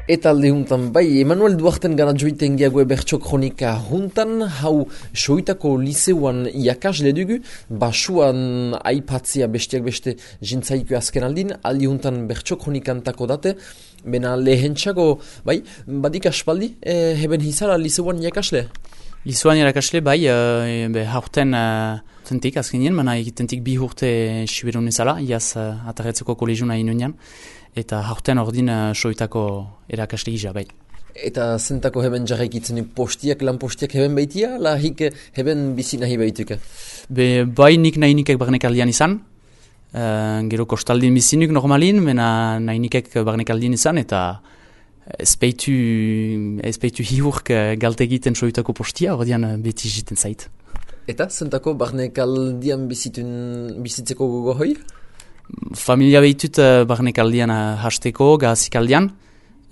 Eta alde juntan, bai, Emanuel Duarten gara joiten geagoe bertso kronika juntan, hau soitako liseuan iakasle dugu, basuan aipatzea bestiak beste jintzaiku azken aldin, alde juntan bertso kronikantako date, bena lehentxago, bai, badik aspaldi, heben hizara liseuan iakasle? Liseuan irakasle, bai, haurten tentik azkenien, mana egitentik bi urte siberun ezala, iaz atarretzeko kolegiuna inunean, eta haurten ordin soitako erakasle gisa, bai. Eta zentako heben jarraikitzen postiak, lan postiak heben baitia, lahik heben bizi nahi baituke? Bai, nik nahi nikek barnekaldian izan, gero kostaldin bizinuk normalin, mena nahi nikek barnekaldian izan, eta ezpeitu hiurk galte egiten soitako postia, ordean beti jiten zait. Eta zentako barnekaldian bizitzeko gogo hoi? Familia behitut barnekaldian hasteko, gazikaldian,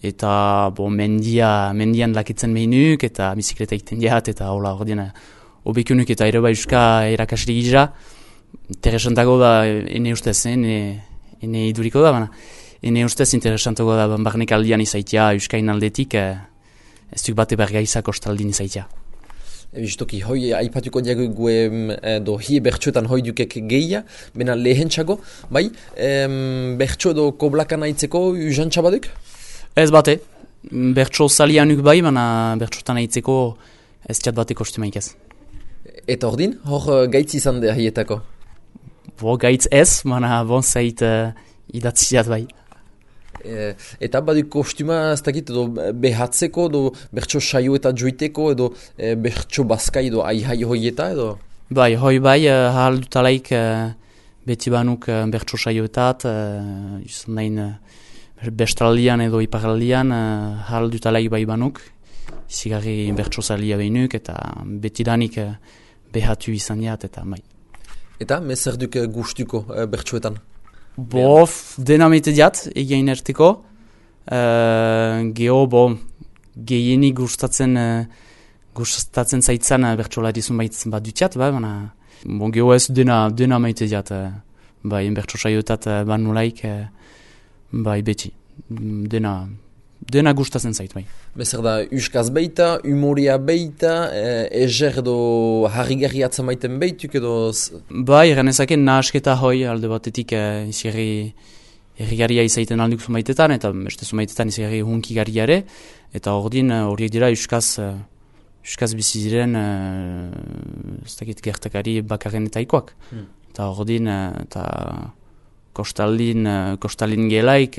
eta mendian lakitzen mehinuk, eta bizikleta egiten diat, eta hola ordean obekunuk eta ere euska erakasle gisa, interesantago da ene ustez, ene iduriko da, baina. Ene ustez interesantago da barnekaldian izaitia, euskain aldetik, ez duk bate bergaiza kostaldin izaitia. Justoki, hoi aipatuko diago gue do hie bertxoetan hoi dukek gehia, bena lehentxago, bai, bertxo edo koblakana itzeko uzantxa baduk? Ez bate, bertxo salianuk bai, baina bertxotan aitzeko ez txat bate kostumaik ez. Eta ordin, hor gaitz izan da hietako? Gaitz ez, baina bon zait idatziat bai. Eta badu kostuma ez dakit edo behatzeko edo bertso saio eta joiteko edo bertso bazkai edo aihai hoieta edo? Bai, hoi bai, hahal dutalaik beti banuk bertso saioetat, izan dain bestaldian edo iparaldian hahal dutalaik bai banuk, izigarri bertso salia behinuk eta beti danik behatu izan diat eta bai. Eta mezer duk gustuko bertsoetan? Dena meite diat, egin erteko. Gehienik gustatzen zaitzan bertsolari zunbait bat dutiat, baina geho ez dena meite diat, bai, bertso saioetat banulaik, bai, beti. Dena gustatzen zait, bai. Bezer da, euskaz beita, humoria beita, ezer edo harrigarri atzamaiten beituk edo... Bai, eranezake nahasketa hoi alde batetik errigarria izaiten alduk zumaitetan, eta beste zumaitetan izgarri hunkigarriare, eta horiek dira euskaz bizi diren ez dakit gertakari bakarren eta ikoak. Eta ordin, eta kostaldin gelaik,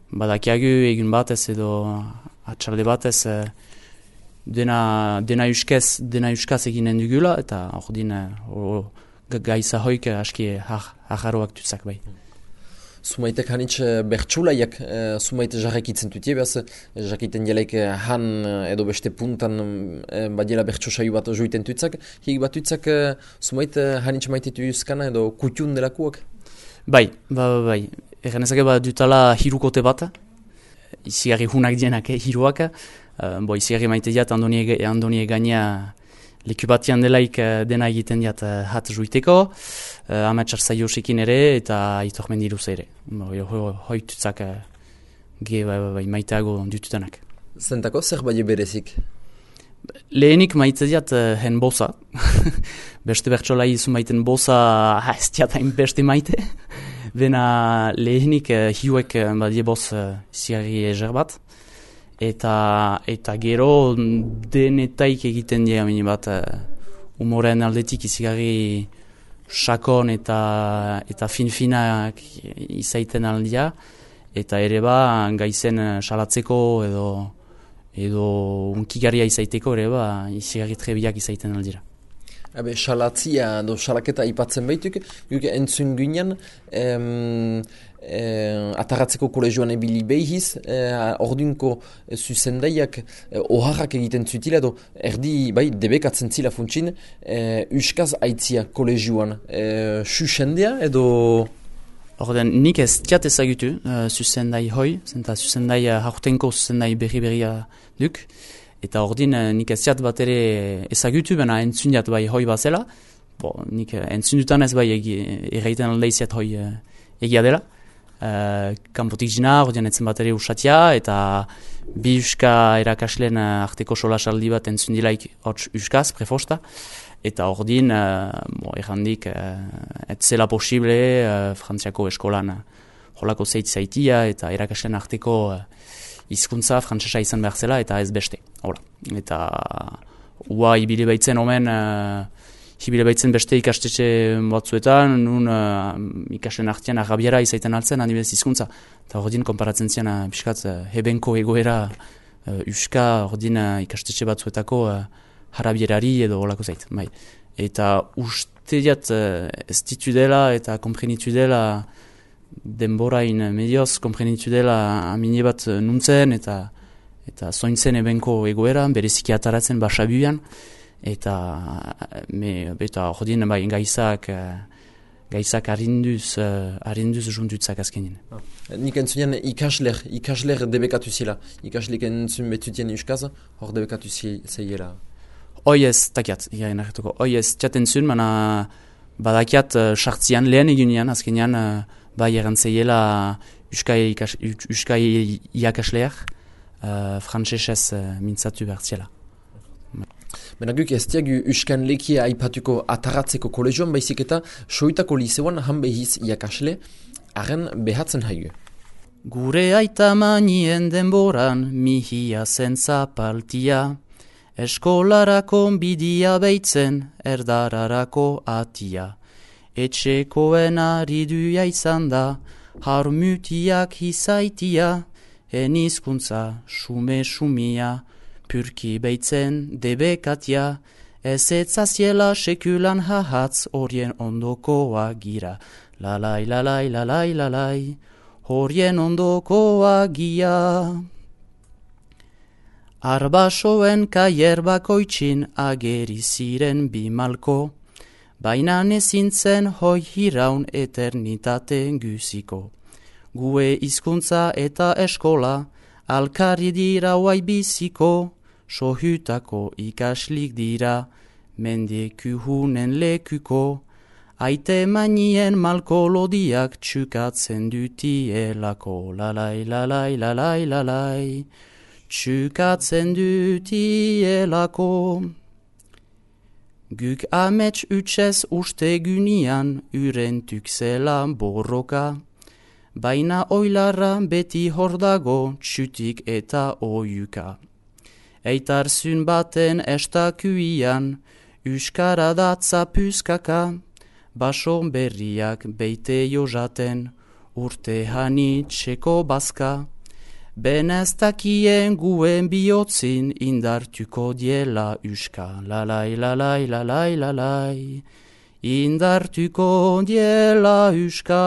badakiagu egun batez edo atxalde batez dena euskaz eginen dugula eta ordin gaiza hoik aski hajaroak duzak bai. Sumaitek hanitz bertsulaiak sumaite jarrakitzen dutie, behaz jakiten jelaik han edo beste puntan badiela bertso saio bat joiten dutzak, hik bat dutzak sumaite hanitz maitetu euskana edo kutxun delakuak? Bai. Eganezake dutala hirukote bat, izigarri hunak dienak, hiruak. Izigarri maite diat Andoni Egania leku batian delaik dena egiten diat hat juiteko, Amatsar Zaiosekin ere eta Aitor Mendiruz ere. Hoitutzak maiteago dututanak. Zentako, zer bai berezik? Lehenik maite diat hen bosa. Beste bertsolai izun maiten bosa ez diatain beste maite. Bena lehenik hiuek badie boz zigarri ezer bat. Eta gero denetaik egiten dira bat humoren aldetik izigarri sakon eta fin-finak izaiten aldia. Eta ere gaizen salatzeko edo unkigarria izaiteko ere izigarri trebiak izaiten aldira. Salatzia edo salaketa ipatzen baituk, guk entzun ginen atarratzeko kolegioan ebili behiz, ordunko zuzendaiak oharrak egiten zutila edo erdi debekatzen zila funtsin, euskaz aitzia kolegioan susendea edo... Ordean, nik ez tiat ezagutu zuzendai hoi, zuzendai haurtenko zuzendai berri-berria duk. Eta ordin nik ez ziat bat ere ezagutu, baina entzundiat bai hoi bazela. Nik entzundutan ez bai erraiten aldeiziat hoi egia dela. kanpotik jina, ordean etzen bat ere usatia, eta bi uska erakasleen arteko solasaldi bat entzun dilaik hots uskaz, prefosta, eta ordin, errandik, ez zela posible frantziako eskolan jolako zaitia, eta erakasleen arteko hizkuntza frantsesa izan behar zela, eta ez beste. Hola. Eta ua ibile baitzen omen, hibile baitzen beste ikastetxe batzuetan, nun ikasleen artean arabiara izaiten altzen, adibidez hizkuntza. Eta ordin, konparatzen zian, piskat, hebenko egoera uska ordin ikastetxe batzuetako arabierari edo olako zait. Bai. Eta uste diat ez ditu dela eta komprenitu dela denborain medioz komprenitu dela amine bat nuntzen eta zointzen ebenko egoera, bereziki ataratzen basabuan, eta ordin bai, gaizak harinduz juntutzak azkenin. Nik entzunean ikasler debekatu zela. Ikaslik entzun betutien euskaz, hor debekatu zeiela. Hoi ez, takiat, hoi ez, txaten zuen, mana badakiat sartzian lehen egunean, azkenean bai erantzeiela euskai iakasleak, frantsesez mintzatu bertziela. Benaguk ez diagu euskan lekia aipatuko ataratzeko kolegioan baizik eta soitako liseuan han behiz iakasle, haren behatzen haigu. Gure aita manien denboran mihia zen zapaltia, eskolarako bidia beitzen erdararako atia. Etxekoen ariduia izan da, harmutiak izaitia, enizkuntza sume-sumia, purki beitzen debekatia, ez etzaziela sekulan hahatz horien ondokoa gira. Lalai, lalai, lalai, lalai, horien ondokoa gira. Arbasoen kaier bakoitzin ageri ziren bimalko, baina nezintzen hoi hiraun eternitateen guziko. Gue hizkuntza eta eskola, alkarri dira huai biziko, sohutako ikaslik dira, mendekuhunen lekuko, aite manien malko lodiak txukatzen dutielako, lalai, lalai, lalai, lalai, txukatzen dutielako. Guk amets utzez ustegunian urentuk zela borroka, baina oilarra beti hordago txutik eta oiuka. Eitarzun baten estakuian, euskara datza puzkaka, baso berriak beite jozaten, urte hani txeko bazka. Beneztakien guen bihotzin indartuko diela uska, lalai, lalai, lalai, lalai, indartuko diela uska.